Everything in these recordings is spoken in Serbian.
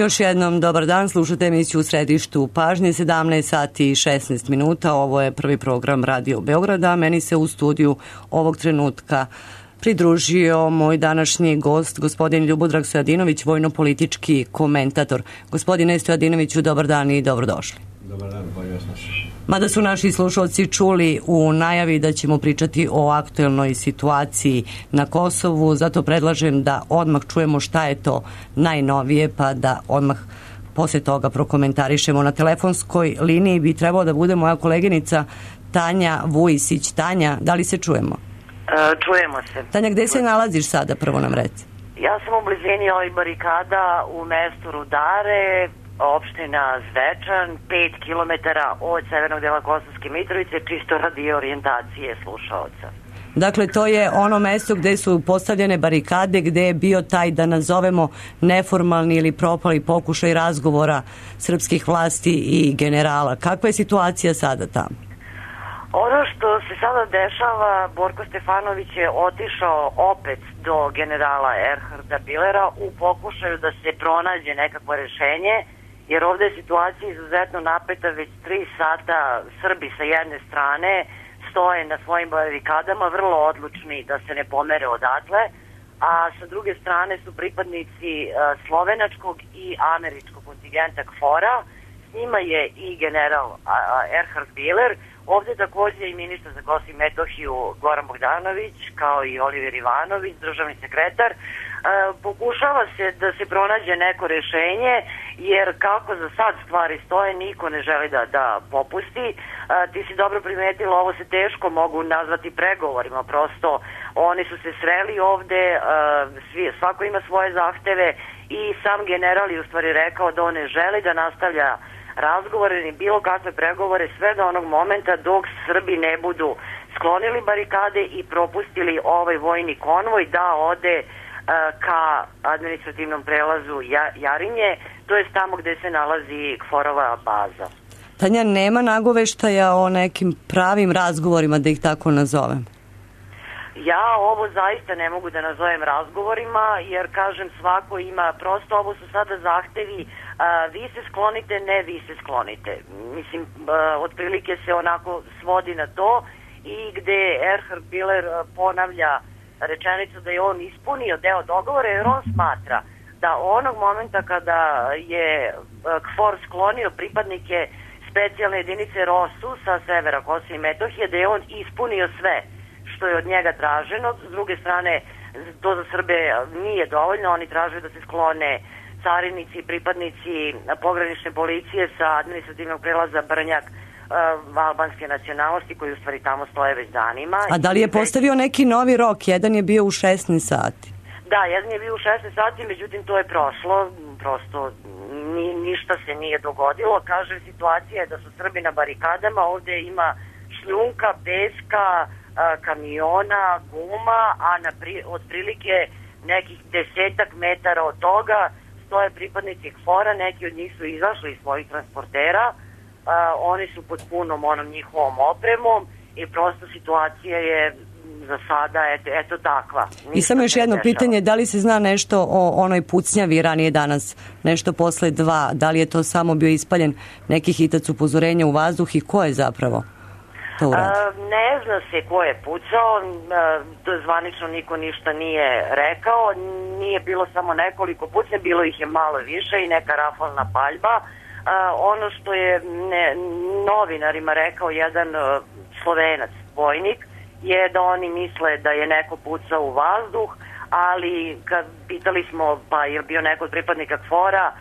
Još jednom dobar dan, slušate emisiju u središtu pažnje, 17 sati i 16 minuta. Ovo je prvi program Radio Beograda. Meni se u studiju ovog trenutka pridružio moj današnji gost, gospodin Ljubodrag Stojadinović, vojno-politički komentator. Gospodine Stojadinoviću, dobar dan i dobrodošli. Dobar dan, bolje vas našli. Mada su naši slušalci čuli u najavi da ćemo pričati o aktuelnoj situaciji na Kosovu, zato predlažem da odmah čujemo šta je to najnovije, pa da odmah posle toga prokomentarišemo. Na telefonskoj liniji bi trebalo da bude moja koleginica Tanja Vujisić. Tanja, da li se čujemo? Čujemo se. Tanja, gde se nalaziš sada, prvo nam reci? Ja sam u blizini ovih barikada u mestu Rudare, opština Zvečan, 5 km od severnog dela Kosovske Mitrovice, čisto radi orijentacije slušaoca. Dakle, to je ono mesto gde su postavljene barikade, gde je bio taj, da nazovemo, neformalni ili propali pokušaj razgovora srpskih vlasti i generala. Kakva je situacija sada tamo? Ono što se sada dešava, Borko Stefanović je otišao opet do generala Erharda Billera u pokušaju da se pronađe nekakvo rešenje, jer ovde je situacija izuzetno napeta. Već 3 sata Srbi sa jedne strane stoje na svojim barikadama, vrlo odlučni da se ne pomere odatle, a sa druge strane su pripadnici slovenačkog i američkog kontingenta KFOR-a. S njima je i general Erhard Biller, ovde takođe i ministar za Kosovo i Metohiju Goran Bogdanović, kao i Oliver Ivanović, državni sekretar. Pokušava se da se pronađe neko rešenje, jer kako za sad stvari stoje, niko ne želi da popusti. Ti si dobro primetila, ovo se teško mogu nazvati pregovorima, prosto oni su se sreli ovde, svako ima svoje zahteve i sam general je u stvari rekao da on ne želi da nastavlja razgovore ni bilo kakve pregovore sve do onog momenta dok Srbi ne budu sklonili barikade i propustili ovaj vojni konvoj da ode ka administrativnom prelazu Jarinje, to je tamo gde se nalazi KFOR-ova baza. Tanja, nema nagoveštaja o nekim pravim razgovorima, da ih tako nazovem? Ja ovo zaista ne mogu da nazovem razgovorima, jer kažem svako ima, prosto ovo su sada zahtevi, vi se sklonite, ne vi se sklonite. Mislim, otprilike se onako svodi na to i gde Erhard Biller ponavlja rečenicu da je on ispunio deo dogovora, jer on smatra da onog momenta kada je KFOR sklonio pripadnike specijalne jedinice ROSU sa severa Kosova i Metohije, da je on ispunio sve što je od njega traženo. S druge strane, to za Srbe nije dovoljno, oni traže da se sklone carinici i pripadnici pogranične policije sa administrativnog prelaza Brnjak albanske nacionalnosti, koji u stvari tamo stoje već danima. A da li je postavio neki novi rok? Jedan je bio u 16 sati. Da, jedan je bio u 16 sati, međutim to je prošlo, prosto ništa se nije dogodilo. Kažem, situacija je da su Srbi na barikadama, ovde ima šljunka, peska, kamiona, guma, a otprilike nekih 10 metara od toga stoje pripadnici KFOR-a, neki od njih su izašli iz svojih transportera, oni su pod punom onom njihovom opremom i prosto situacija je za sada eto takva. I samo još jedno pitanje, da li se zna nešto o onoj pucnjavi ranije danas, nešto posle 2, da li je to samo bio ispaljen neki hitac upozorenja u vazduh i ko je zapravo to uradio? Ne zna se ko je pucao, zvanično niko ništa nije rekao, nije bilo samo nekoliko pucnja, bilo ih je malo više i neka rafalna paljba. Ono što je novinarima rekao jedan Slovenac, vojnik, je da oni misle da je neko pucao u vazduh, ali kad pitali smo pa je bio neko od pripadnika KFOR-a,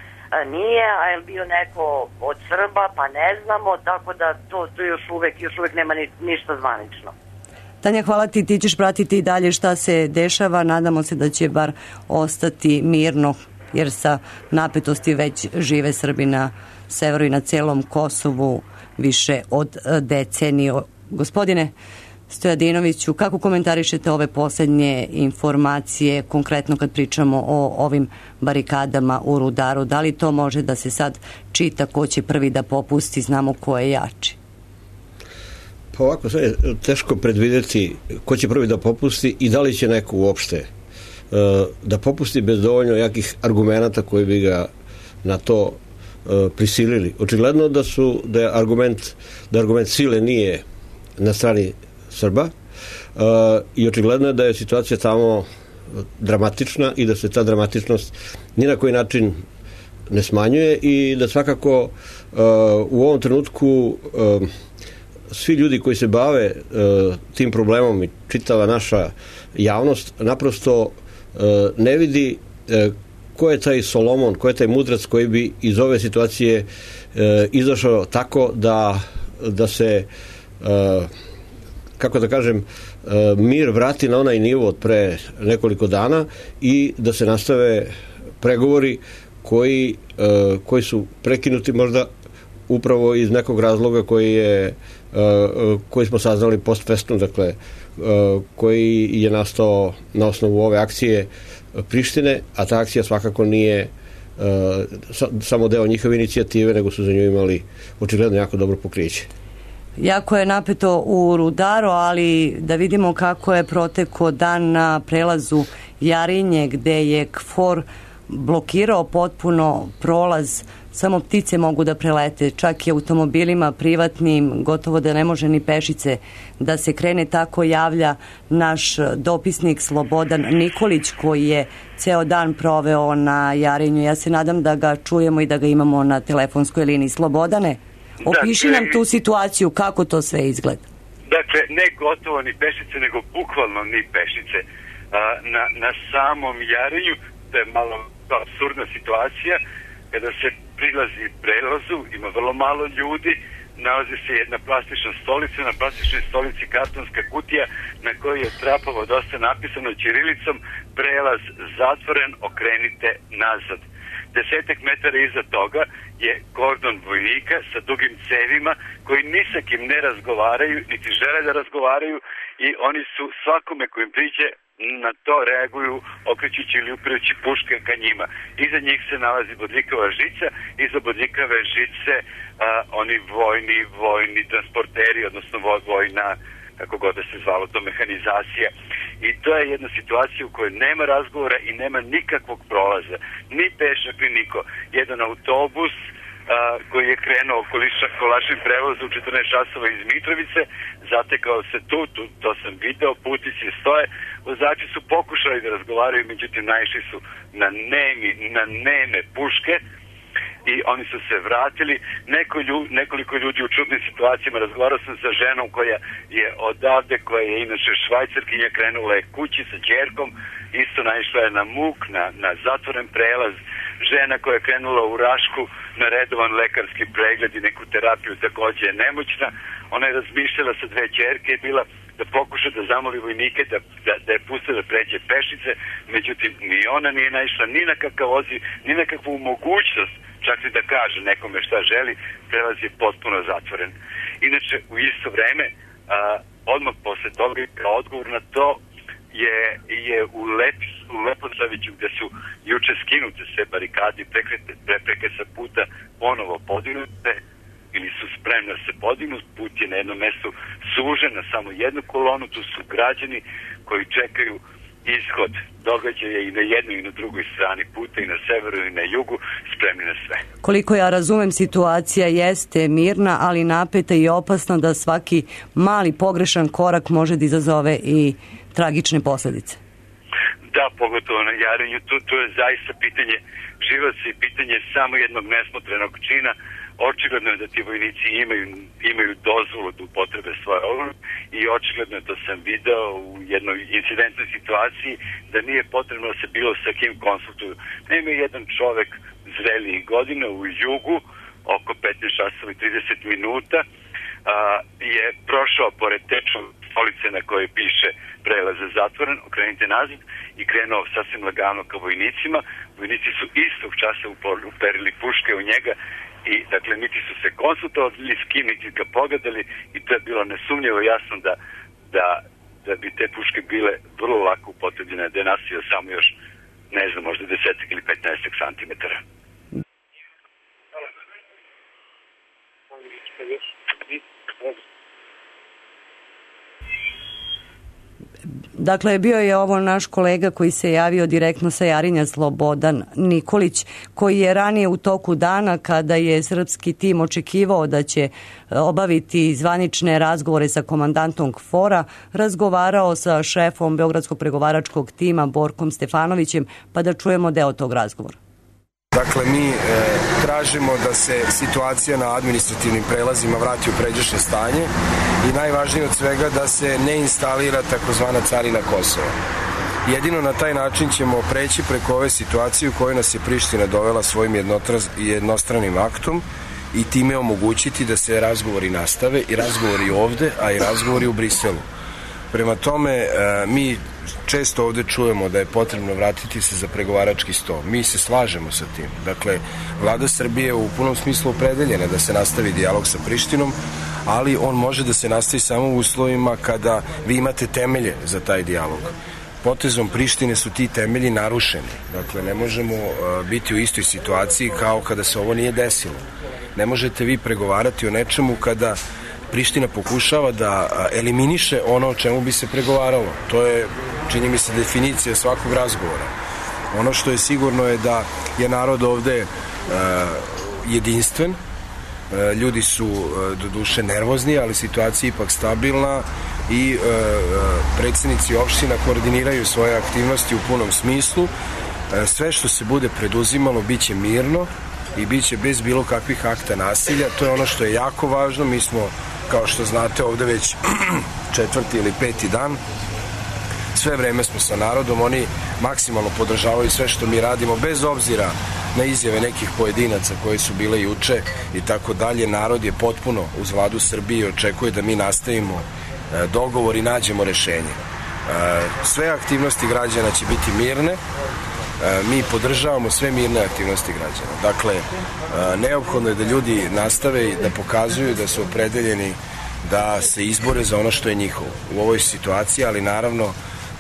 nije, a je bio neko od Srba, pa ne znamo, tako da to još uvek nema ništa zvanično. Tanja, hvala ti, ti ćeš pratiti i dalje šta se dešava, nadamo se da će bar ostati mirno, jer sa napetosti već žive Srbi na severu i na celom Kosovu više od decenije. Gospodine Stojadinoviću, kako komentarišete ove poslednje informacije, konkretno kad pričamo o ovim barikadama u Rudaru? Da li to može da se sad čita ko će prvi da popusti, znamo ko je jači? Pa ovako, sve je teško predvideti ko će prvi da popusti i da li će neko uopšte da popusti bez dovoljno jakih argumenata koji bi ga na to prisilili. Očigledno da je argument sile nije na strani Srba i očigledno je da je situacija tamo dramatična i da se ta dramatičnost ni na koji način ne smanjuje i da svakako u ovom trenutku svi ljudi koji se bave tim problemom i čitava naša javnost naprosto ne vidi ko je taj Solomon, ko je taj mudrac koji bi iz ove situacije izašao tako da se kako da kažem mir vrati na onaj nivo od pre nekoliko dana i da se nastave pregovori koji su prekinuti možda upravo iz nekog razloga koji smo saznali post festum, dakle koji je nastao na osnovu ove akcije Prištine, a ta akcija svakako nije samo deo njihove inicijative, nego su za nju imali očigledno jako dobro pokriće. Jako je napeto u Rudaru, ali da vidimo kako je protekao dan na prelazu Jarinje, gde je KFOR blokirao potpuno prolaz, samo ptice mogu da prelete, čak i automobilima privatnim, gotovo da ne može ni pešice da se krene. Tako javlja naš dopisnik Slobodan Nikolić, koji je ceo dan proveo na Jarinju. Ja se nadam da ga čujemo i da ga imamo na telefonskoj liniji. Slobodane, opiši nam tu situaciju, kako to sve izgleda. Dakle, ne gotovo ni pešice, nego bukvalno ni pešice. Na samom Jarinju, to je malo apsurdna situacija, kada se prilazi prelazu, ima vrlo malo ljudi, nalazi se jedna plastična stolica, na plastičnoj stolici kartonska kutija na kojoj je trapavo dosta napisano ćirilicom: prelaz zatvoren, okrenite nazad. 10 metara iza toga je kordon vojnika sa dugim cevima koji ni sa kim ne razgovaraju, niti žele da razgovaraju, i oni su svakome kojim priđe na to reaguju okrećući ili upirajući puške ka njima. Iza njih se nalazi bodljikava žica, iza bodljikave žice oni vojni transporteri, odnosno vojna, kako god da se zvalo to, mehanizacija. I to je jedna situacija u kojoj nema razgovora i nema nikakvog prolaza. Ni pešak, ni niko. Jedan autobus koji je krenuo kolašim prevozom u 14 časova iz Mitrovice, zatekao se tu, to sam video, putnici stoje, vozači su pokušali da razgovaraju, međutim naišli su na neme puške i oni su se vratili. Nekoliko ljudi u čudnim situacijama. Razgovarao sam sa ženom koja je odavde, koja je inače Švajcarkinja, krenula je kući sa ćerkom, isto naišla je na muk, na zatvoren prelaz. Žena koja je krenula u Rašku na redovan lekarski pregled i neku terapiju, takođe je nemoćna. Ona je razmišljala sa 2 ćerke i bila da pokuša da zamoli vojnike da je puste da pređe pešice, međutim ni ona nije naišla ni na kakav odziv, ni na kakvu mogućnost čak i da kaže nekome šta želi. Prelaz je potpuno zatvoren. Inače, u isto vreme, odmah posle toga, kao odgovor na to, je u Leposaviću, gde su juče skinute sve barikade i prepreke sa puta ponovo podignute ili su spremne da se podignu. Put je na jednom mestu sužen na samo jednu kolonu, tu su građani koji čekaju ishod događaja i na jednoj i na drugoj strani puta, i na severu i na jugu, spremni na sve. Koliko ja razumem, situacija jeste mirna, ali napeta i opasna, da svaki mali pogrešan korak može da izazove i tragične posledice. Da, pogotovo na Jarinju, to je zaista pitanje života i pitanje samo jednog nesmotrenog čina. Očigledno je da ti vojnici imaju dozvolu da upotrebe svoje oružje i očigledno je, to sam video u jednoj incidentnoj situaciji, da nije potrebno da se bilo sa kim konsultuju. Naime, jedan čovek zrelijih godina u jugu, oko 15 časova i 30 minuta, je prošao pored tečne stolice na kojoj piše prelaz je zatvoren, okrenite nazad, i krenuo sasvim lagano ka vojnicima. Vojnici su istog časa uperili puške u njega i, dakle, niti su se konsultovali s kim, niti ga pogledali, i to je bilo nesumnjivo jasno da bi te puške bile vrlo lako upotrebljene, da je nasio samo još, ne znam, možda 10 ili 15 santimetara. Dakle, bio je ovo naš kolega koji se javio direktno sa Jarinja, Slobodan Nikolić, koji je ranije u toku dana, kada je srpski tim očekivao da će obaviti zvanične razgovore sa komandantom KFOR-a, razgovarao sa šefom Beogradskog pregovaračkog tima Borkom Stefanovićem, pa da čujemo deo tog razgovora. Dakle, mi tražimo da se situacija na administrativnim prelazima vrati u pređašnje stanje i najvažnije od svega da se ne instalira takozvana carina Kosova. Jedino na taj način ćemo preći preko ove situacije u kojoj nas je Priština dovela svojim jednostranim aktom i time omogućiti da se razgovori nastave i razgovori ovde, a i razgovori u Briselu. Prema tome, mi često ovde čujemo da je potrebno vratiti se za pregovarački sto. Mi se slažemo sa tim. Dakle, vlada Srbije je u punom smislu opredeljena da se nastavi dijalog sa Prištinom, ali on može da se nastavi samo u uslovima kada vi imate temelje za taj dijalog. Potezom Prištine su ti temelji narušeni. Dakle, ne možemo biti u istoj situaciji kao kada se ovo nije desilo. Ne možete vi pregovarati o nečemu kada Priština pokušava da eliminiše ono o čemu bi se pregovaralo. To je, čini mi se, definicija svakog razgovora. Ono što je sigurno je da je narod ovde jedinstven, ljudi su do duše nervozni, ali situacija je ipak stabilna i predsednici opština koordiniraju svoje aktivnosti u punom smislu. Sve što se bude preduzimalo biće mirno i biće bez bilo kakvih akta nasilja. To je ono što je jako važno. Mi smo, kao što znate, ovde već 4. ili 5. dan. Sve vreme smo sa narodom, oni maksimalno podržavaju sve što mi radimo, bez obzira na izjave nekih pojedinaca koji su bile juče i tako dalje. Narod je potpuno uz vladu Srbije i očekuje da mi nastavimo dogovor i nađemo rešenje. Sve aktivnosti građana će biti mirne, mi podržavamo sve mirne aktivnosti građana. Dakle, neophodno je da ljudi nastave i da pokazuju da su opredeljeni da se izbore za ono što je njihovo u ovoj situaciji, ali naravno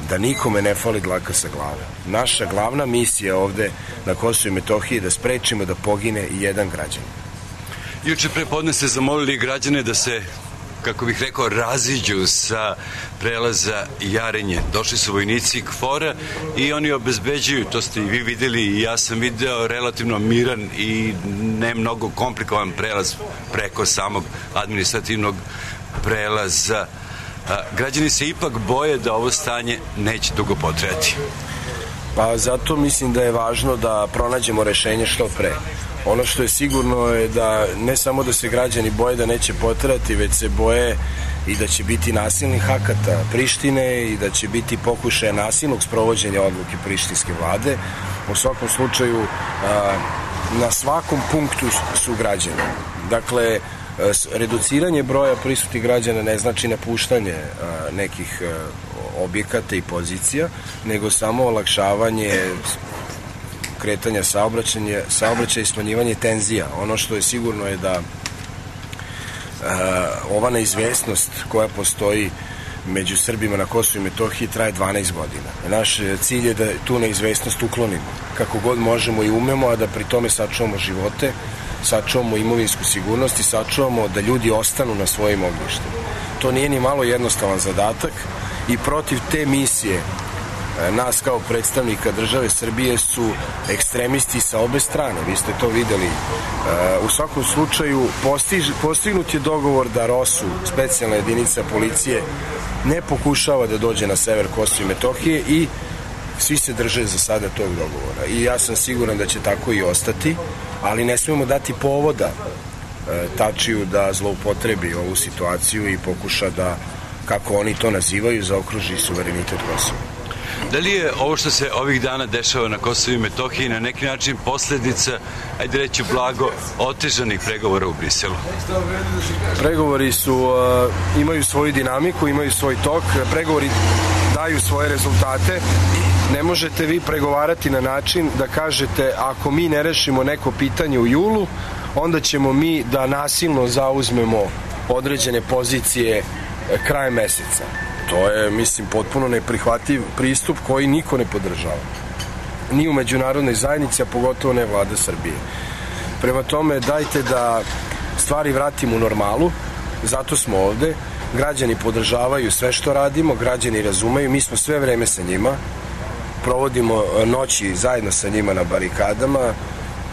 da nikome ne fali dlaka sa glave. Naša glavna misija ovde na Kosovu i Metohiji je da sprečimo da pogine i jedan građanin. Juče prepodne ste zamolili građane da se, kako bih rekao, raziđu sa prelaza Jarinje. Došli su vojnici KFOR-a i oni obezbeđuju, to ste i vi videli i ja sam video, relativno miran i ne mnogo komplikovan prelaz preko samog administrativnog prelaza. Građani se ipak boje da ovo stanje neće dugo potrajati. Pa zato mislim da je važno da pronađemo rešenje što pre. Ono što je sigurno je da ne samo da se građani boje da neće potrajati, već se boje i da će biti nasilnih akata Prištine i da će biti pokušaja nasilnog sprovođenja odluke prištinske vlade. U svakom slučaju, na svakom punktu su građani. Dakle, reduciranje broja prisutnih građana ne znači napuštanje nekih objekata i pozicija, nego samo olakšavanje kretanja saobraćaja i smanjivanje tenzija. Ono što je sigurno je da ova neizvesnost koja postoji među Srbima na Kosovu i Metohiji traje 12 godina. Naš cilj je da tu neizvesnost uklonimo kako god možemo i umemo, a da pri tome sačuvamo živote, sačuvamo imovinsku sigurnost i sačuvamo da ljudi ostanu na svojim ognjištima. To nije ni malo jednostavan zadatak i protiv te misije nas kao predstavnika države Srbije su ekstremisti sa obe strane. Vi ste to videli. U svakom slučaju postignut je dogovor da ROSU, specijalna jedinica policije, ne pokušava da dođe na sever Kosova i Metohije i svi se drže za sada tog dogovora. I ja sam siguran da će tako i ostati, ali ne smemo dati povoda Tačiju da zloupotrebi ovu situaciju i pokuša da, kako oni to nazivaju, zaokruži suverenitet Kosova. Da li je ovo što se ovih dana dešava na Kosovu i Metohiji na neki način posljedica, ajde reći blago, otežanih pregovora u Briselu? Pregovori imaju svoju dinamiku, imaju svoj tok, pregovori daju svoje rezultate. Ne možete vi pregovarati na način da kažete ako mi ne rešimo neko pitanje u julu, onda ćemo mi da nasilno zauzmemo određene pozicije krajem meseca. To je, mislim, potpuno neprihvatljiv pristup koji niko ne podržava. Ni u međunarodnoj zajednici, a pogotovo ne vlada Srbije. Prema tome, dajte da stvari vratimo u normalu, zato smo ovde. Građani podržavaju sve što radimo, građani razumeju, mi smo sve vreme sa njima, provodimo noći zajedno sa njima na barikadama,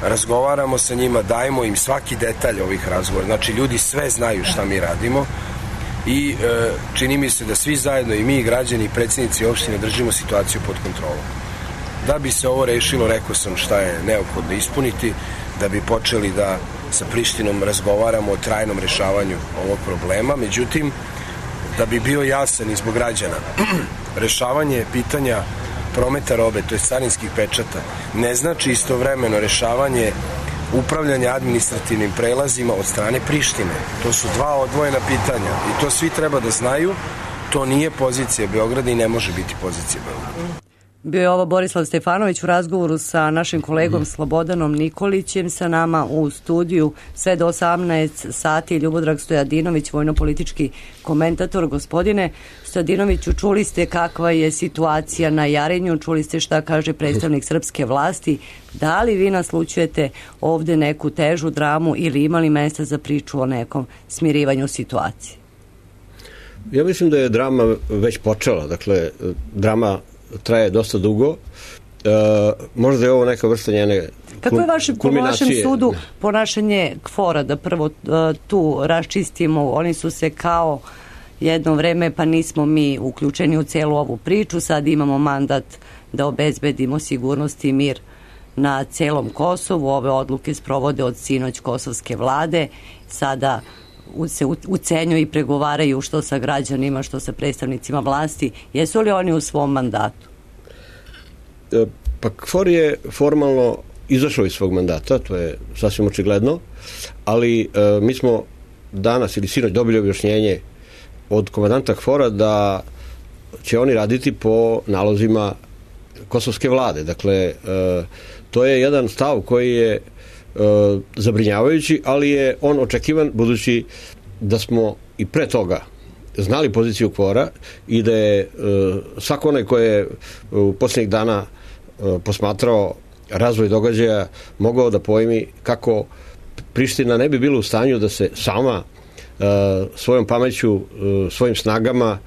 razgovaramo sa njima, dajemo im svaki detalj ovih razgovora. Znači, ljudi sve znaju šta mi radimo i čini mi se da svi zajedno, i mi, i građani, i predsjednici opštine, držimo situaciju pod kontrolom. Da bi se ovo rešilo, rekao sam šta je neophodno ispuniti, da bi počeli da sa Prištinom razgovaramo o trajnom rešavanju ovog problema. Međutim, da bi bio jasan i zbog građana, rešavanje pitanja prometa robe, to je carinskih pečata, ne znači istovremeno rešavanje upravljanja administrativnim prelazima od strane Prištine. To su dva odvojena pitanja i to svi treba da znaju. To nije pozicija Beograda i ne može biti pozicija Beograda. Bio je ovo Borislav Stefanović u razgovoru sa našim kolegom Slobodanom Nikolićem, sa nama u studiju sve do 18 sati Ljubodrag Stojadinović, vojno-politički komentator. Gospodine Stojadinoviću, čuli ste kakva je situacija na Jarinju, čuli ste šta kaže predstavnik srpske vlasti. Da li vi naslućujete ovde neku težu dramu ili imali mesta za priču o nekom smirivanju situacije? Ja mislim da je drama već počela. Dakle, drama traje dosta dugo. Možda je ovo neka vrsta njene Kako je po vašem sudu ponašanje KFOR-a, da prvo tu raščistimo? Oni su se kao jedno vreme, pa nismo mi uključeni u celu ovu priču, sad imamo mandat da obezbedimo sigurnost i mir na celom Kosovu. Ove odluke sprovode od sinoć kosovske vlade, sada se ucenjuju i pregovaraju što sa građanima, što sa predstavnicima vlasti. Jesu li oni u svom mandatu? Pa KFOR je formalno izašao iz svog mandata, to je sasvim očigledno, ali mi smo danas ili sinoć dobili objašnjenje od komandanta KFOR-a da će oni raditi po nalozima kosovske vlade. Dakle, to je jedan stav koji je zabrinjavajući, ali je on očekivan budući da smo i pre toga znali poziciju KFOR-a i da je svako onaj ko je u posljednjih dana posmatrao razvoj događaja mogao da pojmi kako Priština ne bi bila u stanju da se sama svojom pameću, svojim snagama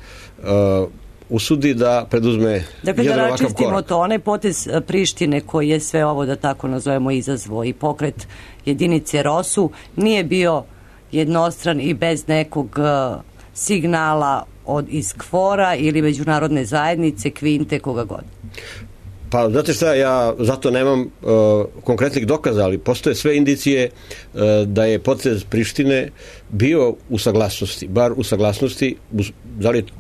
usudi da preduzme jedan ovakav korak. Dakle, da račistimo to, onaj potez Prištine koji je sve ovo, da tako nazovemo, izazvo i pokret jedinice ROSU, nije bio jednostran i bez nekog signala iz KFOR-a ili međunarodne zajednice, Kvinte, koga god. Pa, znate šta, ja zato nemam konkretnih dokaza, ali postoje sve indicije da je potez Prištine bio u saglasnosti, bar u saglasnosti,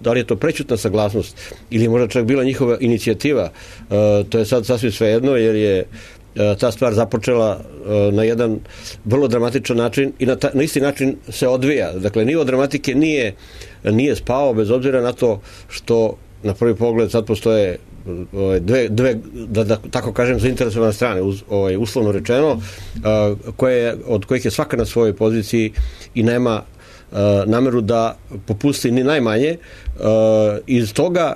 da li je to prećutna saglasnost ili možda čak bila njihova inicijativa, to je sad sasvim svejedno, jer je ta stvar započela na jedan vrlo dramatičan način i na isti način se odvija. Dakle, nivo dramatike nije spao, bez obzira na to što na prvi pogled sad postoje dve da tako kažem, zainteresovane strane, uslovno rečeno, od kojih je svaka na svojoj poziciji i nema nameru da popusti ni najmanje. Iz toga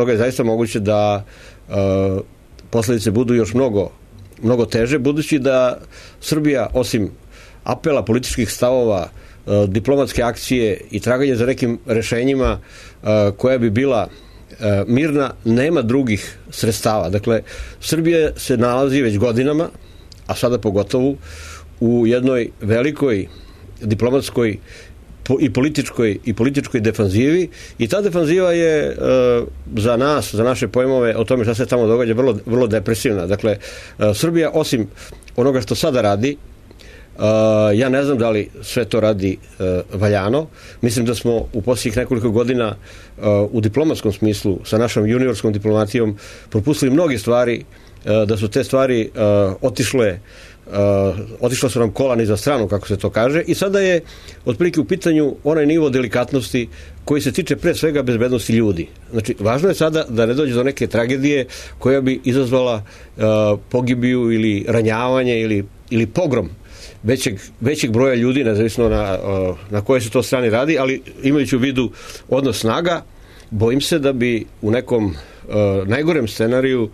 je zaista moguće da posledice budu još mnogo teže, budući da Srbija, osim apela, političkih stavova, diplomatske akcije i traganje za nekim rešenjima koja bi bila mirna, nema drugih sredstava. Dakle, Srbija se nalazi već godinama, a sada pogotovo, u jednoj velikoj diplomatskoj i političkoj defanzivi, i ta defanziva je za nas, za naše pojmove o tome šta se tamo događa, vrlo depresivna. Dakle, Srbija, osim onoga što sada radi, ja ne znam da li sve to radi valjano. Mislim da smo u posljednjih nekoliko godina u diplomatskom smislu sa našom juniorskom diplomatijom propustili mnoge stvari, da su te stvari otišla su nam kola niza stranu, kako se to kaže, i sada je otprilike u pitanju onaj nivo delikatnosti koji se tiče pre svega bezbednosti ljudi. Znači, važno je sada da ne dođe do neke tragedije koja bi izazvala pogibiju ili ranjavanje ili pogrom većeg broja ljudi, nezavisno na kojoj se to strani radi, ali imajući u vidu odnos snaga, bojim se da bi u nekom najgorem scenariju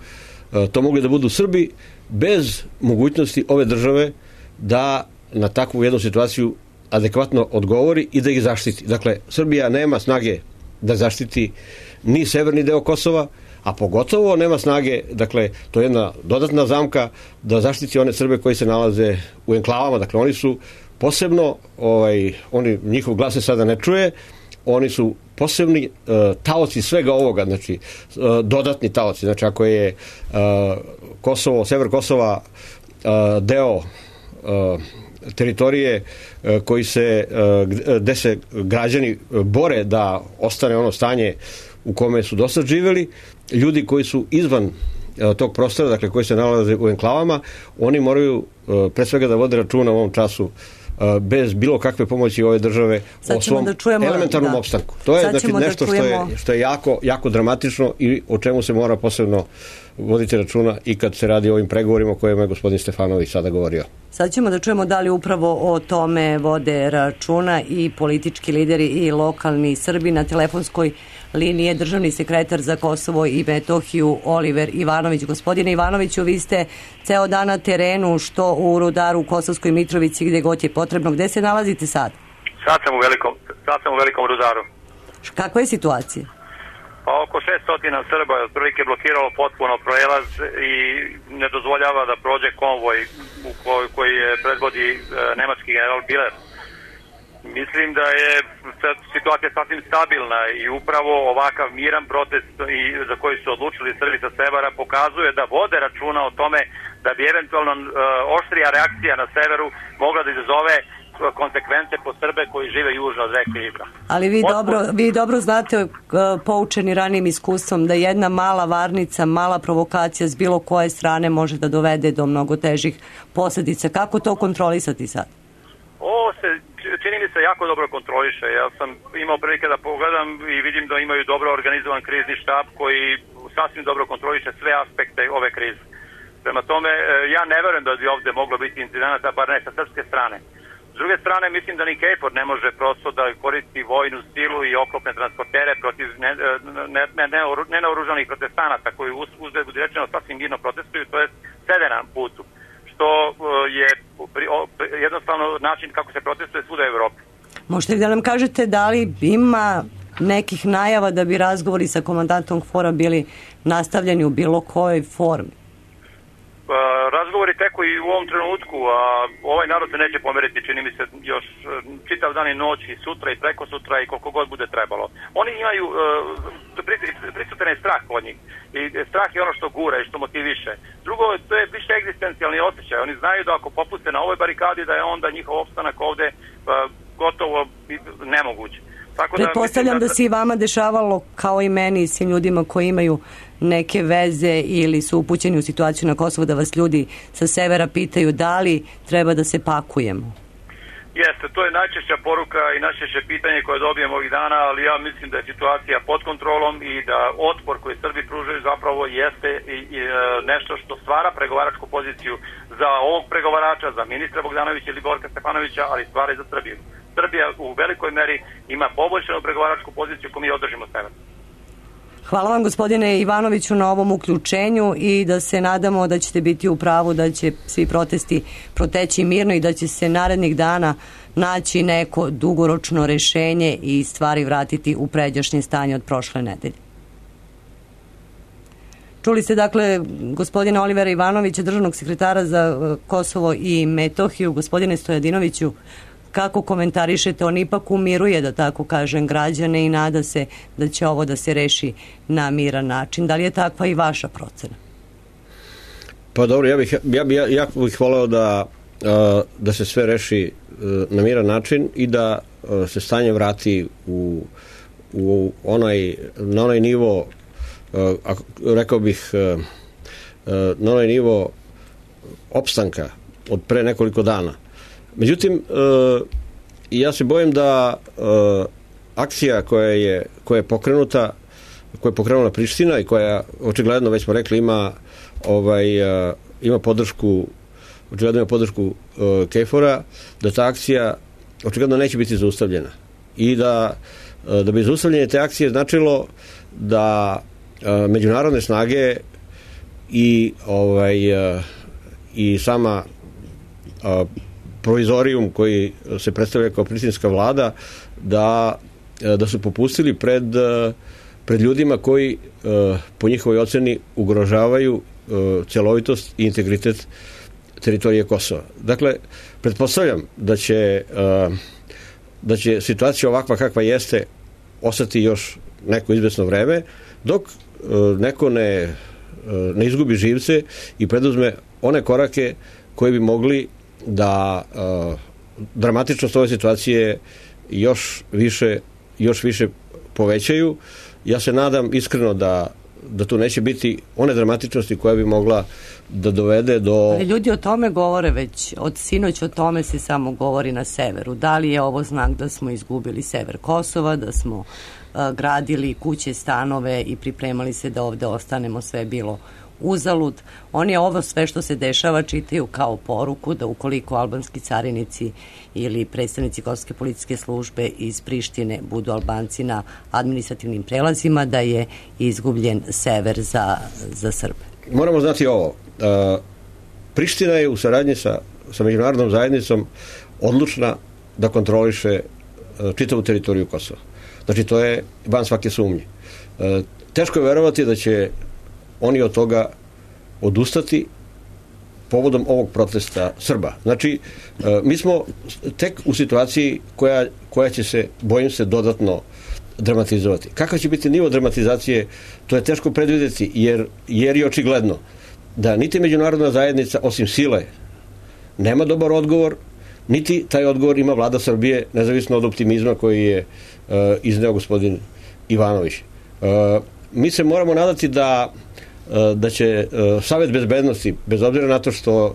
to mogli da budu Srbi, bez mogućnosti ove države da na takvu jednu situaciju adekvatno odgovori i da ih zaštiti. Dakle, Srbija nema snage da zaštiti ni severni deo Kosova, a pogotovo nema snage, dakle, to je jedna dodatna zamka da zaštiti one Srbe koji se nalaze u enklavama. Dakle, oni su posebno, njihov glas se sada ne čuje, oni su posebni taoci svega ovoga, znači dodatni taoci. Znači, ako je Kosovo, sever Kosova deo teritorije gde se građani bore da ostane ono stanje u kome su dosad živeli, ljudi koji su izvan tog prostora, dakle koji se nalaze u enklavama, oni moraju pre svega da vode računa u ovom času bez bilo kakve pomoći ove države o svom elementarnom opstanku. To je znači nešto što je jako dramatično i o čemu se mora posebno voditi računa i kad se radi o ovim pregovorima o kojima je gospodin Stefanović sada govorio. Sad ćemo da čujemo da li upravo o tome vode računa i politički lideri i lokalni Srbi. Na telefonskoj liniji je državni sekretar za Kosovo i Metohiju Oliver Ivanović. Gospodine Ivanoviću, vi ste ceo dan na terenu, što u Rudaru, u Kosovskoj Mitrovici, gde god je potrebno. Gde se nalazite sad? Sad sam u velikom Rudaru. Kakva je situacija? Pa oko 600 Srba je otprilike blokiralo potpuno prelaz i ne dozvoljava da prođe konvoj koji predvodi nemački general Biler. Mislim da je situacija sasvim stabilna i upravo ovakav miran protest za koji su odlučili Srbi sa severa pokazuje da vode računa o tome da bi eventualno oštrija reakcija na severu mogla da izazove konsekvence po Srbe koji žive južno od reke Ibra. Ali vi dobro znate, poučeni ranijim iskustvom, da jedna mala varnica, mala provokacija s bilo koje strane može da dovede do mnogo težih posljedica. Kako to kontrolisati sad? Ovo se čini mi se jako dobro kontroliše. Ja sam imao prilike da pogledam i vidim da imaju dobro organizovan krizni štab koji sasvim dobro kontroliše sve aspekte ove krize. Prema tome, ja ne verujem da bi ovde moglo biti incidenata, bar ne sa srpske strane. S druge strane, mislim da ni KFOR ne može prosto da koristi vojnu silu i oklopne transportere protiv nenaoružanih protestanata koji uzgled budi rečeno sasvim mirno protestuju, to je sede na putu, što je jednostavno način kako se protestuje svuda u Evropi. Možete li da nam kažete da li ima nekih najava da bi razgovori sa komandantom KFOR-a bili nastavljeni u bilo kojoj formi? Razgovori teku i u ovom trenutku, a ovaj narod se neće pomeriti, čini mi se, još čitav dan i noć i sutra i preko sutra i koliko god bude trebalo. Oni imaju, prisutan je strah od njih i strah je ono što gura i što motiviše. Drugo, to je više egzistencijalni osjećaj. Oni znaju da ako popuste na ovoj barikadi da je onda njihov opstanak ovde gotovo nemoguć. Pretpostavljam da se i vama dešavalo, kao i meni i svim ljudima koji imaju neke veze ili su upućeni u situaciju na Kosovu, da vas ljudi sa severa pitaju da li treba da se pakujemo. Jeste, to je najčešća poruka i najčešće pitanje koje dobijem ovih dana, ali ja mislim da je situacija pod kontrolom i da otpor koji Srbi pružaju zapravo jeste nešto što stvara pregovaračku poziciju za ovog pregovarača, za ministra Bogdanovića ili Borka Stefanovića, ali stvara i za Srbiju. Srbija u velikoj meri ima poboljšanu pregovaračku poziciju koju mi održimo sever. Hvala vam, gospodine Ivanoviću, na ovom uključenju i da se nadamo da ćete biti u pravu, da će svi protesti proteći mirno i da će se narednih dana naći neko dugoročno rešenje i stvari vratiti u pređašnje stanje od prošle nedelje. Čuli ste dakle gospodina Olivera Ivanovića, državnog sekretara za Kosovo i Metohiju. Gospodine Stojadinoviću, kako komentarišete? On ipak umiruje, da tako kažem, građane i nada se da će ovo da se reši na miran način. Da li je takva i vaša procena? Pa dobro, ja bih voleo da se sve reši na miran način i da se stanje vrati na onaj nivo, rekao bih, na onaj nivo opstanka od pre nekoliko dana. Međutim, ja se bojim da akcija koja je pokrenuta, koja je pokrenula Priština i koja očigledno, već smo rekli, ima podršku, očigledno ima podršku KFOR-a, da ta akcija očigledno neće biti zaustavljena. I da bi zaustavljanje te akcije značilo da međunarodne snage i sama provizorijum koji se predstavlja kao prištinska vlada, da su popustili pred ljudima koji po njihovoj oceni ugrožavaju celovitost i integritet teritorije Kosova. Dakle, pretpostavljam da će situacija ovakva kakva jeste ostati još neko izvesno vreme, dok neko ne izgubi živce i preduzme one korake koji bi mogli da dramatičnost ove situacije još više povećaju. Ja se nadam iskreno da tu neće biti one dramatičnosti koja bi mogla da dovede do... Ali ljudi o tome govore već, od sinoć o tome se samo govori na severu. Da li je ovo znak da smo izgubili sever Kosova, da smo gradili kuće, stanove i pripremali se da ovde ostanemo, sve bilo uzalud. Oni ovo sve što se dešava čitaju kao poruku da ukoliko albanski carinici ili predstavnici kosovske policijske službe iz Prištine budu Albanci na administrativnim prelazima, da je izgubljen sever za Srbe. Moramo znati ovo. Priština je u saradnji sa međunarodnom zajednicom odlučna da kontroliše čitavu teritoriju Kosova. Znači, to je van svake sumnje. Teško je verovati da će oni od toga odustati povodom ovog protesta Srba. Znači, mi smo tek u situaciji koja će se, bojim se, dodatno dramatizovati. Kakav će biti nivo dramatizacije, to je teško predvidjeti, jer je očigledno da niti međunarodna zajednica, osim sile, nema dobar odgovor, niti taj odgovor ima vlada Srbije, nezavisno od optimizma koji je izneo gospodin Ivanović. Mi se moramo nadati da će Savet bezbednosti, bez obzira na to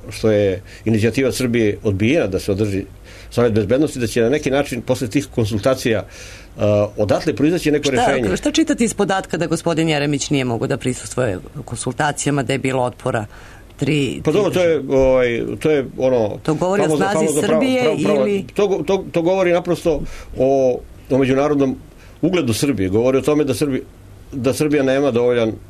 što je inicijativa Srbije odbijena da se održi Savet bezbednosti, da će na neki način posle tih konsultacija odatle proizaći neko rešenje. Šta čitati iz podatka da gospodin Jeremić nije mogao da prisustvuje konsultacijama, da je bilo otpora? Pa dobro, to je ono... To govori o snazi Srbije ili... To govori naprosto o međunarodnom ugledu Srbije. Govori o tome da Srbija nema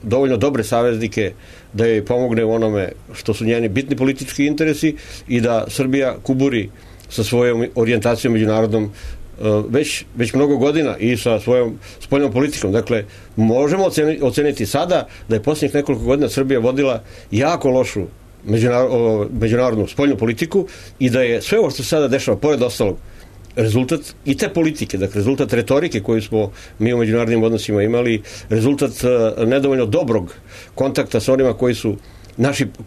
dovoljno dobre saveznike da joj pomogne u onome što su njeni bitni politički interesi i da Srbija kuburi sa svojom orijentacijom međunarodnom već mnogo godina i sa svojom spoljnom politikom. Dakle, možemo oceniti sada da je posljednjih nekoliko godina Srbija vodila jako lošu međunarodnu spoljnu politiku i da je sve ovo što se sada dešava, pored ostalog, rezultat i te politike, dakle rezultat retorike koju smo mi u međunarodnim odnosima imali, rezultat nedovoljno dobrog kontakta sa onima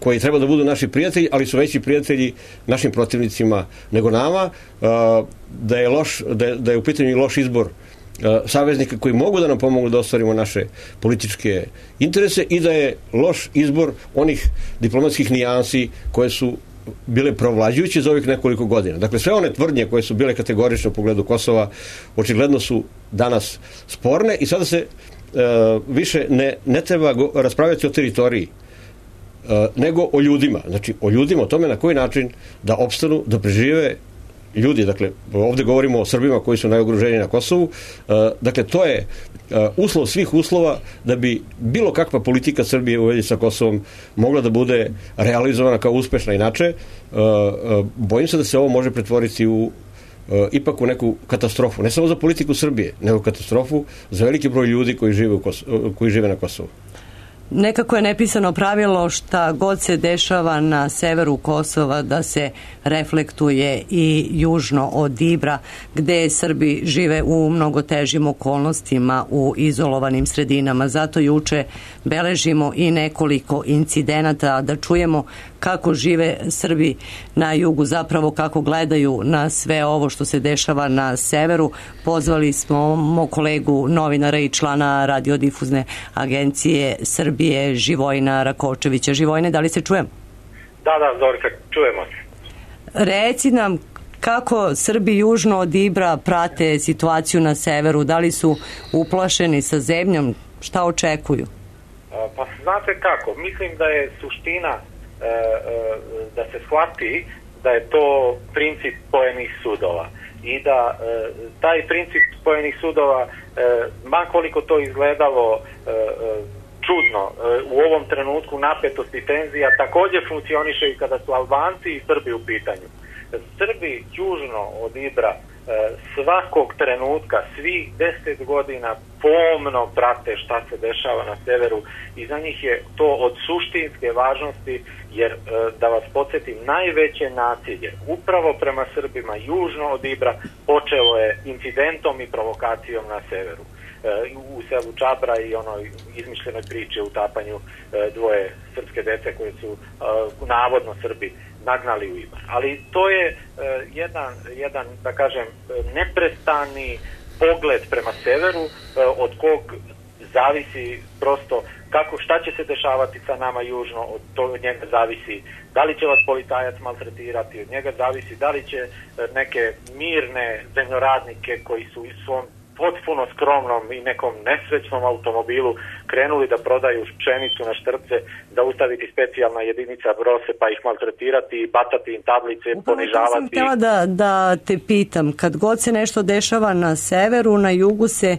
koji treba da budu naši prijatelji, ali su veći prijatelji našim protivnicima nego nama, da je u pitanju loš izbor saveznika koji mogu da nam pomogu da ostvarimo naše političke interese i da je loš izbor onih diplomatskih nijansi koje su bile provlađujuće za ovih nekoliko godina. Dakle, sve one tvrdnje koje su bile kategorične u pogledu Kosova očigledno su danas sporne i sada se više ne treba raspravljati o teritoriji, nego o ljudima. Znači, o ljudima, o tome na koji način da opstanu, da prežive ljudi. Dakle, ovdje govorimo o Srbima koji su najugroženiji na Kosovu. Dakle, to je uslov svih uslova da bi bilo kakva politika Srbije u vezi sa Kosovom mogla da bude realizovana kao uspešna. Inače, bojim se da se ovo može pretvoriti ipak u neku katastrofu. Ne samo za politiku Srbije, nego katastrofu za veliki broj ljudi koji žive na Kosovu. Nekako je nepisano pravilo šta god se dešava na severu Kosova da se reflektuje i južno od Ibra, gde Srbi žive u mnogo težim okolnostima u izolovanim sredinama. Zato juče beležimo i nekoliko incidenata da čujemo kako žive Srbi na jugu, zapravo kako gledaju na sve ovo što se dešava na severu. Pozvali smo mog kolegu novinara i člana radiodifuzne agencije Srbije, Živojina Rakočevića. Živojine, da li se čujemo? Da, Zorka, čujemo se. Reci nam kako Srbi južno od Ibra prate situaciju na severu, da li su uplašeni sa zemljom, šta očekuju? Pa znate kako, mislim da je suština da se shvati da je to princip spojenih sudova i da taj princip spojenih sudova, ma koliko to izgledalo čudno, u ovom trenutku napetosti i tenzija također funkcioniše i kada su Albanci i Srbi u pitanju. Srbi južno od Ibra svakog trenutka, svih 10 godina pomno prate šta se dešava na severu i za njih je to od suštinske važnosti, jer da vas podsjetim, najveće nasilje upravo prema Srbima južno od Ibra počelo je incidentom i provokacijom na severu, u selu Čabra i onoj izmišljenoj priči o utapanju dvoje srpske dece koje su navodno Srbi nagnali u Ibar. Ali to je jedan, da kažem, neprestani pogled prema severu, od kog zavisi prosto šta će se dešavati sa nama južno, od njega zavisi da li će vas policajac maltretirati, od njega zavisi da li će neke mirne zemljoradnike koji su u svom potpuno skromnom i nekom nesrećnom automobilu krenuli da prodaju pšenicu na štrpce, da ustaviti specijalna jedinica brose pa ih maltretirati, bacati im tablice, ponižavati. Upravo to sam htjela da te pitam. Kad god se nešto dešava na severu, na jugu se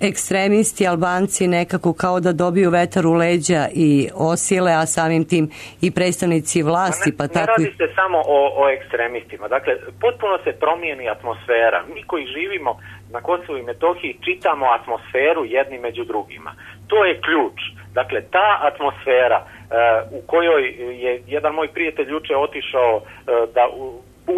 ekstremisti Albanci nekako kao da dobiju vetar u leđa i osile, a samim tim i predstavnici vlasti. Ne radi se samo o ekstremistima. Dakle, potpuno se promijeni atmosfera. Mi koji živimo na Kosovu i Metohiji čitamo atmosferu jedni među drugima. To je ključ. Dakle, ta atmosfera u kojoj je jedan moj prijatelj juče otišao da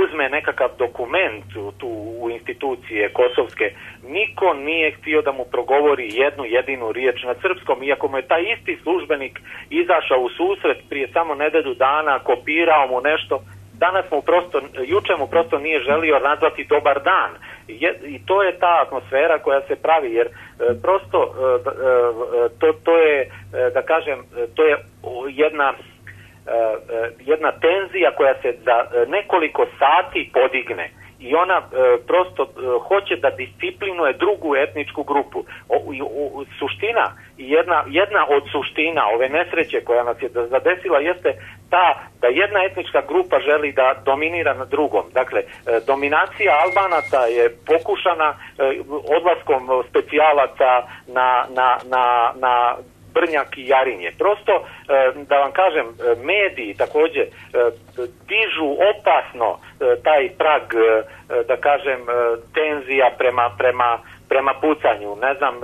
uzme nekakav dokument tu u institucije kosovske, niko nije htio da mu progovori jednu jedinu riječ na srpskom, iako mu je taj isti službenik izašao u susret prije samo nedelju dana, kopirao mu nešto. Juče mu prosto nije želio nazvati dobar dan. I to je ta atmosfera koja se pravi, jer prosto to je, da kažem, to je jedna tenzija koja se za nekoliko sati podigne i ona prosto hoće da disciplinuje drugu etničku grupu. Suština, jedna od suština ove nesreće koja nas je zadesila jeste ta da jedna etnička grupa želi da dominira na drugom. Dakle, dominacija Albanaca je pokušana odlaskom specijalaca na Brnjak i Jarinje. Prosto, da vam kažem, mediji također dižu opasno taj prag, da kažem, tenzija prema pucanju. Ne znam,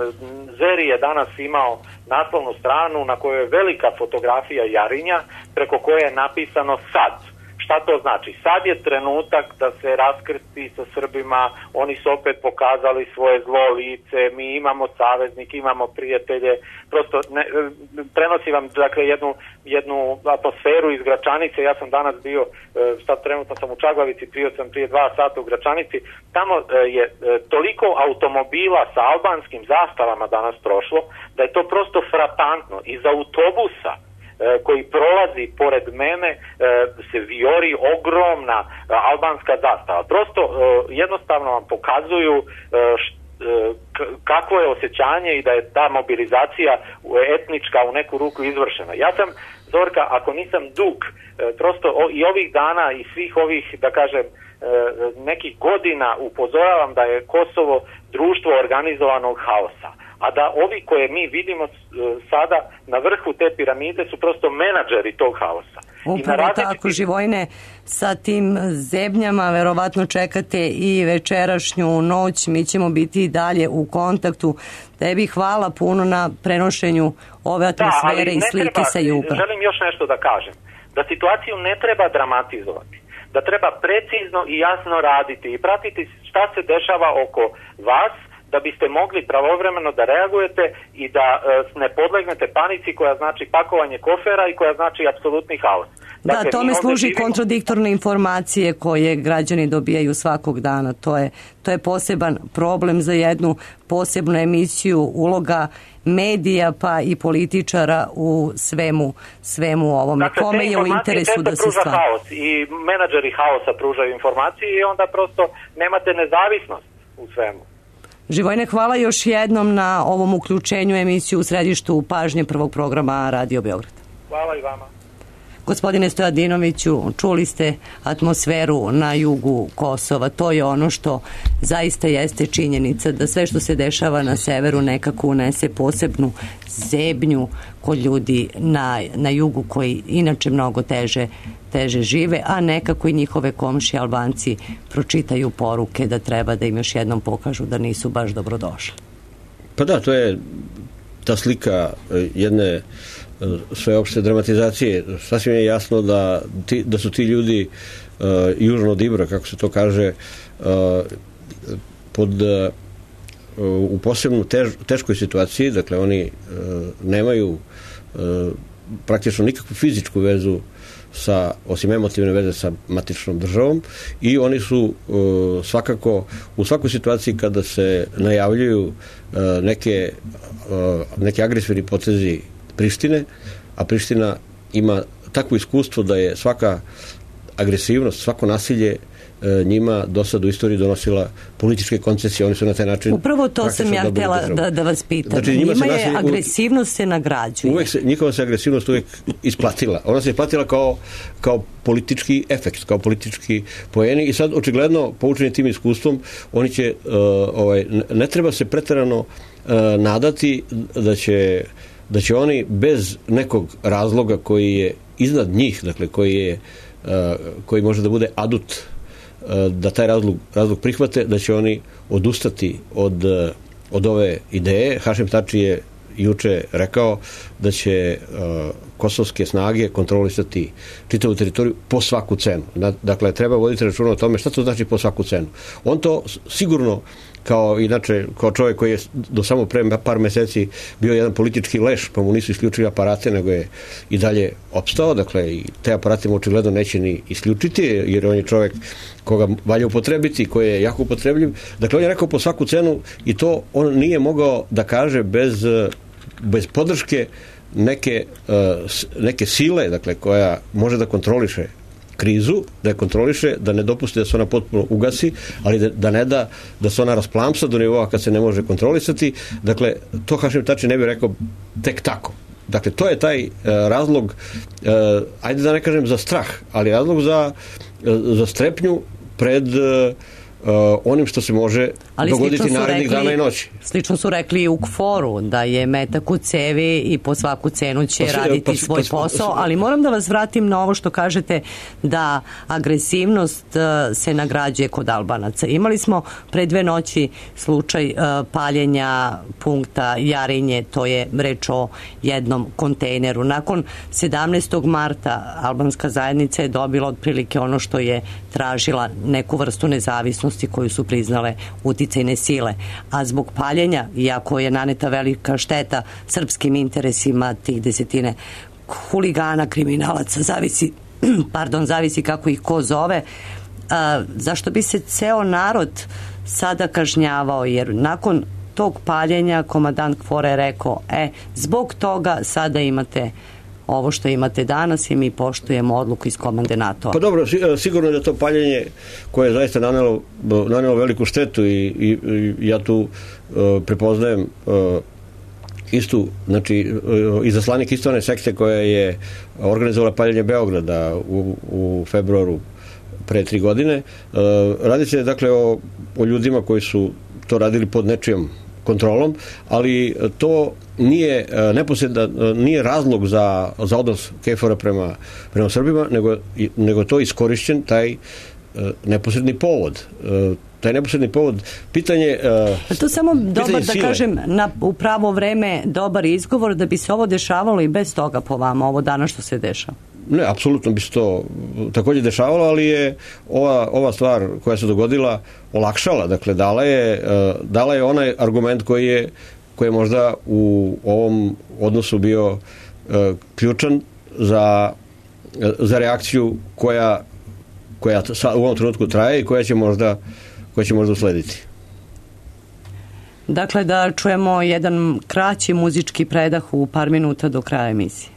Zeri je danas imao naslovnu stranu na kojoj je velika fotografija Jarinja, preko koje je napisano sad. Šta to znači? Sad je trenutak da se raskrsti sa Srbima, oni su opet pokazali svoje zlo lice, mi imamo saveznike, imamo prijatelje, prosto prenosi vam, dakle, jednu atmosferu iz Gračanice. Ja sam danas bio, sad trenutno sam u Čaglavici, bio sam prije 2 sata u Gračanici, tamo je toliko automobila sa albanskim zastavama danas prošlo, da je to prosto frapantno. Iz autobusa koji prolazi pored mene se vijori ogromna albanska zastava. Prosto jednostavno vam pokazuju kakvo je osjećanje i da je ta mobilizacija etnička u neku ruku izvršena. Ja sam, Zorka, ako nisam dug, prosto i ovih dana i svih ovih, da kažem, nekih godina upozoravam da je Kosovo društvo organizovanog haosa, a da ovi koje mi vidimo sada na vrhu te piramide su prosto menadžeri tog haosa. Upravo tako, Živojne, sa tim zebnjama verovatno čekate i večerašnju noć, mi ćemo biti i dalje u kontaktu. Tebi hvala puno na prenošenju ove atmosfere i slike sa juga. Želim još nešto da kažem, da situaciju ne treba dramatizovati, da treba precizno i jasno raditi i pratiti šta se dešava oko vas, da biste mogli pravovremeno da reagujete i da ne podlegnete panici koja znači pakovanje kofera i koja znači apsolutni haos. Dakle, da, tome služi kontradiktorne informacije koje građani dobijaju svakog dana. To je poseban problem za jednu posebnu emisiju, uloga medija pa i političara u svemu ovome. Dakle, kome je u interesu da se stvari. Haos i menadžeri haosa pružaju informacije i onda prosto nemate nezavisnost u svemu. Živojne, hvala još jednom na ovom uključenju emisiju u središtu pažnje prvog programa Radio Beograd. Hvala i vama. Gospodine Stojadinoviću, čuli ste atmosferu na jugu Kosova. To je ono što zaista jeste činjenica, da sve što se dešava na severu nekako unese posebnu zebnju kod ljudi na jugu koji inače mnogo teže žive, a nekako i njihove komšije Albanci pročitaju poruke da treba da im još jednom pokažu da nisu baš dobrodošli. Pa da, to je ta slika jedne sveopšte dramatizacije. Sasvim je jasno da su ti ljudi južno od Ibra, kako se to kaže, u posebno teškoj situaciji. Dakle, oni nemaju praktično nikakvu fizičku vezu osim emotivne veze sa matičnom državom, i oni su svakako u svakoj situaciji kada se najavljuju neki agresivni potezi Prištine, a Priština ima takvo iskustvo da je svaka agresivnost, svako nasilje njima do sad u istoriji donosila političke koncesije. Oni su na taj način... Upravo to sam ja htjela da vas pitam. Znači, njima je agresivnost se nagrađuje. Njihova se agresivnost uvijek isplatila. Ona se isplatila kao politički efekt, kao politički poeni, i sad očigledno poučeni tim iskustvom oni će, ne treba se preterano nadati da će oni bez nekog razloga koji je iznad njih, dakle koji može da bude adut da taj razlog prihvate, da će oni odustati od ove ideje. Hašim Tači je juče rekao da će kosovske snage kontrolisati čitavu teritoriju po svaku cenu. Dakle, treba voditi računa o tome šta to znači po svaku cenu. On to sigurno, kao čovjek koji je do samo pre par meseci bio jedan politički leš, pa mu nisu isključili aparate, nego je i dalje opstao. Dakle, i te aparate mu očigledno neće ni isključiti, jer on je čovjek koga valja upotrebiti, koji je jako upotrebljiv. Dakle, on je rekao po svaku cenu, i to on nije mogao da kaže bez podrške neke sile, dakle, koja može da kontroliše krizu, da je kontroliše, da ne dopusti da se ona potpuno ugasi, ali da ne da se ona rasplamsa do nivoa kad se ne može kontrolisati. Dakle, to Hašim Tači ne bi rekao tek tako. Dakle, to je taj razlog, ajde da ne kažem za strah, ali razlog za strepnju pred onim što se može dogoditi narednih dana i noći. Slično su rekli i u KFOR-u, da je metak u cevi i po svaku cenu će raditi svoj posao, ali moram da vas vratim na ovo što kažete da agresivnost se nagrađuje kod Albanaca. Imali smo pre 2 noći slučaj paljenja punkta Jarinje, to je reč o jednom kontejneru. Nakon 17. marta albanska zajednica je dobila otprilike ono što je tražila, neku vrstu nezavisnosti koju su priznale uticajne sile, a zbog paljenja, iako je naneta velika šteta srpskim interesima tih desetine huligana, kriminalaca, zavisi kako ih ko zove, zašto bi se ceo narod sada kažnjavao, jer nakon tog paljenja komandant KFOR-a je rekao, zbog toga sada imate ovo što imate danas i mi poštujemo odluku iz komande NATO-a. Pa dobro, sigurno je da to paljenje koje je zaista nanelo veliku štetu, i ja tu prepoznajem istu, znači izaslanik istovane sekte koja je organizovala paljenje Beograda u februaru pre 3 godine. Radi se dakle o ljudima koji su to radili pod nečijom kontrolom, ali to nije razlog za odnos KFOR-a prema Srbima, nego to iskorišćen taj neposredni povod. Taj neposredni povod, pitanje... To samo dobar, da kažem, u pravo vreme dobar izgovor da bi se ovo dešavalo i bez toga po vama, ovo danas što se dešava. Ne, apsolutno bi se to također dešavalo, ali je ova stvar koja se dogodila olakšala, dakle dala je onaj argument koji je možda u ovom odnosu bio ključan za reakciju koja u ovom trenutku traje i koja će možda uslediti. Dakle, da čujemo jedan kraći muzički predah u par minuta do kraja emisije.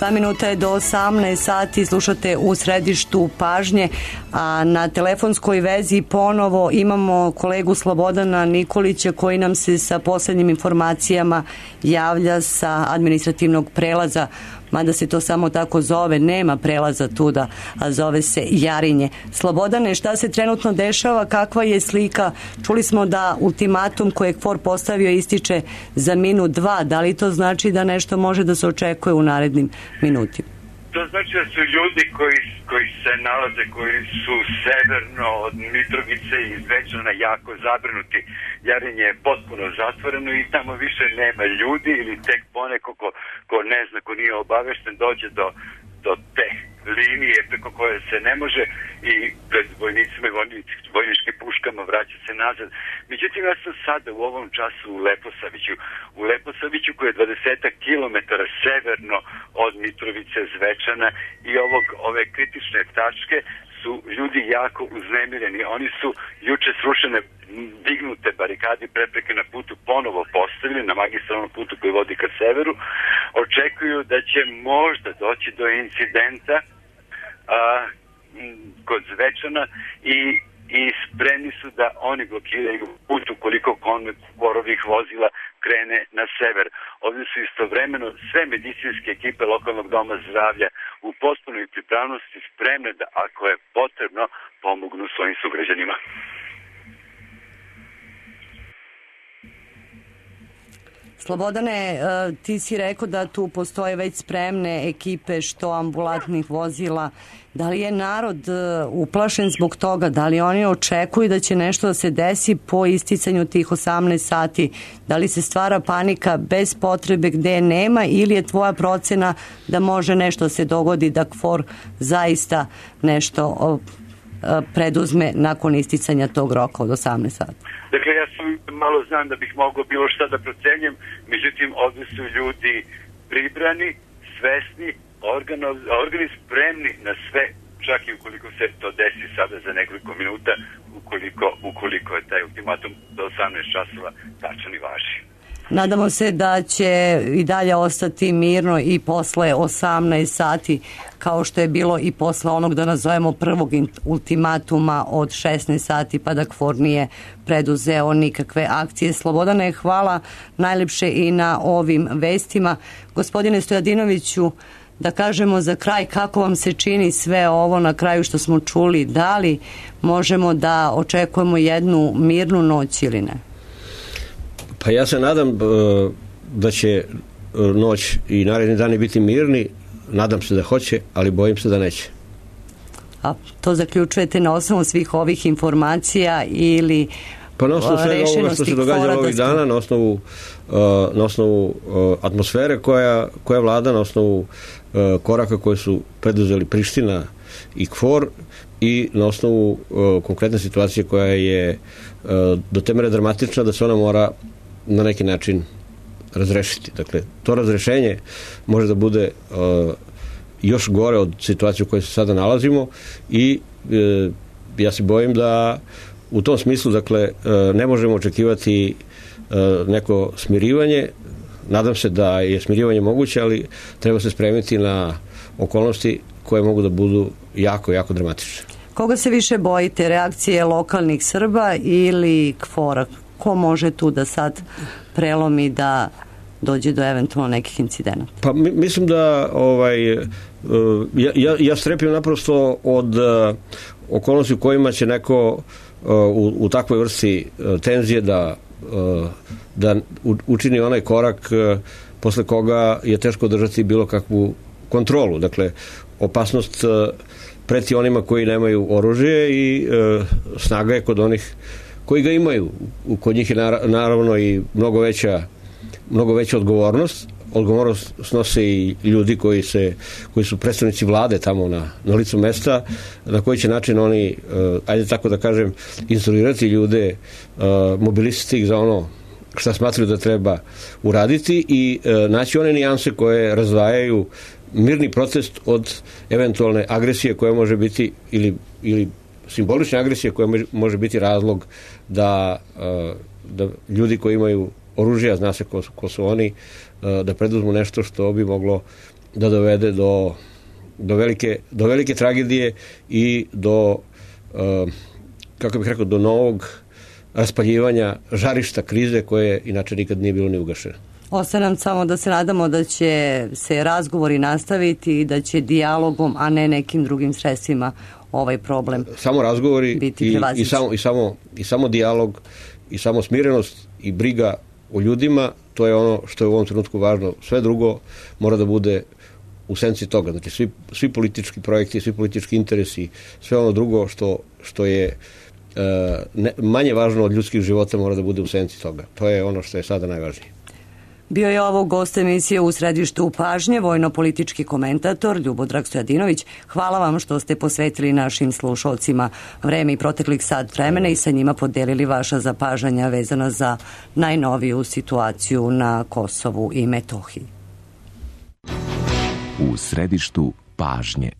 2 minuta je do 18 sati, slušate U središtu pažnje, a na telefonskoj vezi ponovo imamo kolegu Slobodana Nikolića koji nam se sa poslednjim informacijama javlja sa administrativnog prelaza, mada se to samo tako zove, nema prelaza tuda, a zove se Jarinje. Slobodane, šta se trenutno dešava, kakva je slika? Čuli smo da ultimatum koje je KFOR postavio ističe za minut 2, da li to znači da nešto može da se očekuje u narednim minutima? To znači da su ljudi koji se nalaze, koji su severno od Mitrovice i Zvečana jako zabrinuti. Jarinje je potpuno zatvoreno i tamo više nema ljudi ili tek poneko ko ne zna, ko nije obavešten, dođe do te linije preko koje se ne može i pred vojnicima i vojničkim puškama vraća se nazad. Međutim, ja sam sada u ovom času u Leposaviću koji je 20 kilometara severno od Mitrovice, Zvečana i ove kritične tačke su ljudi jako uznemireni. Oni su juče srušene dignute barikade i prepreke na putu ponovo postavili, na magistralnom putu koji vodi ka severu. Očekuju da će možda doći do incidenta kod Zvečana i spremni su da oni blokiraju put ukoliko KFOR-ovih vozila krene na sever. Ovdje su istovremeno sve medicinske ekipe lokalnog doma zdravlja u potpunoj pripravnosti spremne da, ako je potrebno, pomognu svojim sugrađanima. Slobodane, ti si rekao da tu postoje već spremne ekipe što ambulantnih vozila. Da li je narod uplašen zbog toga? Da li oni očekuju da će nešto da se desi po isticanju tih 18 sati? Da li se stvara panika bez potrebe gde nema ili je tvoja procena da može nešto se dogodi, da KFOR zaista nešto preduzme nakon isticanja tog roka od 18 sati? Dakle, ja malo znam da bih mogao bilo šta da procenjem, međutim, ovdje su ljudi pribrani, svesni, organi spremni na sve, čak i ukoliko se to desi sada za nekoliko minuta, ukoliko je taj ultimatum do 18 časova tačan i važi. Nadamo se da će i dalje ostati mirno i posle 18 sati, kao što je bilo i posle onog, da nazovemo, prvog ultimatuma od 16 sati, pa da KFOR nije preduzeo nikakve akcije. Slobodane, hvala najlepše i na ovim vestima. Gospodine Stojadinoviću, da kažemo za kraj, kako vam se čini sve ovo na kraju što smo čuli? Da li možemo da očekujemo jednu mirnu noć ili ne? Pa ja se nadam da će noć i naredni dani biti mirni, nadam se da hoće, ali bojim se da neće. A to zaključujete na osnovu svih ovih informacija ili pa na osnovu svega ovoga što se događa ovih dana, na osnovu atmosfere koja vlada, na osnovu koraka koje su preduzeli Priština i KFOR i na osnovu konkretne situacije koja je do te mere dramatična da se ona mora na neki način razrešiti. Dakle, to razrešenje može da bude još gore od situacije u kojoj se sada nalazimo i ja se bojim da u tom smislu, dakle, ne možemo očekivati neko smirivanje. Nadam se da je smirivanje moguće, ali treba se spremiti na okolnosti koje mogu da budu jako, jako dramatične. Koga se više bojite, reakcije lokalnih Srba ili KFOR-a? Ko može tu da sad prelomi da dođe do eventualno nekih incidenata? Pa mislim da ja strepim naprosto od okolnosti u kojima će neko u takvoj vrsti tenzije da učini onaj korak posle koga je teško držati bilo kakvu kontrolu. Dakle, opasnost preti onima koji nemaju oružje i snaga je kod onih koji ga imaju. Kod njih je naravno i mnogo veća odgovornost. Odgovornost snose i ljudi koji su predstavnici vlade tamo na licu mesta, na koji će način oni, ajde tako da kažem, instruirati ljude, mobilisati ih za ono šta smatraju da treba uraditi i naći one nijanse koje razdvajaju mirni protest od eventualne agresije koja može biti ili simbolične agresije koja može biti razlog da ljudi koji imaju oružje, zna se ko su oni, da preduzmu nešto što bi moglo da dovede do velike tragedije i do, kako bih rekao, do novog raspaljivanja žarišta krize koje inače nikad nije bilo ni ugašeno. Ostaje nam samo da se nadamo da će se razgovori nastaviti i da će dijalogom, a ne nekim drugim sredstvima ovaj problem samo razgovori biti prevaziđen. I samo dijalog i samo smirenost i briga o ljudima, to je ono što je u ovom trenutku važno. Sve drugo mora da bude u senci toga. Znači svi politički projekti, svi politički interesi, sve ono drugo što je manje važno od ljudskih života mora da bude u senci toga. To je ono što je sada najvažnije. Bio je ovo gost emisije U središtu pažnje, vojno-politički komentator Ljubodrag Stojadinović. Hvala vam što ste posvetili našim slušalcima vreme i proteklih sat vremena i sa njima podelili vaša zapažanja vezana za najnoviju situaciju na Kosovu i Metohiji. U središtu pažnje.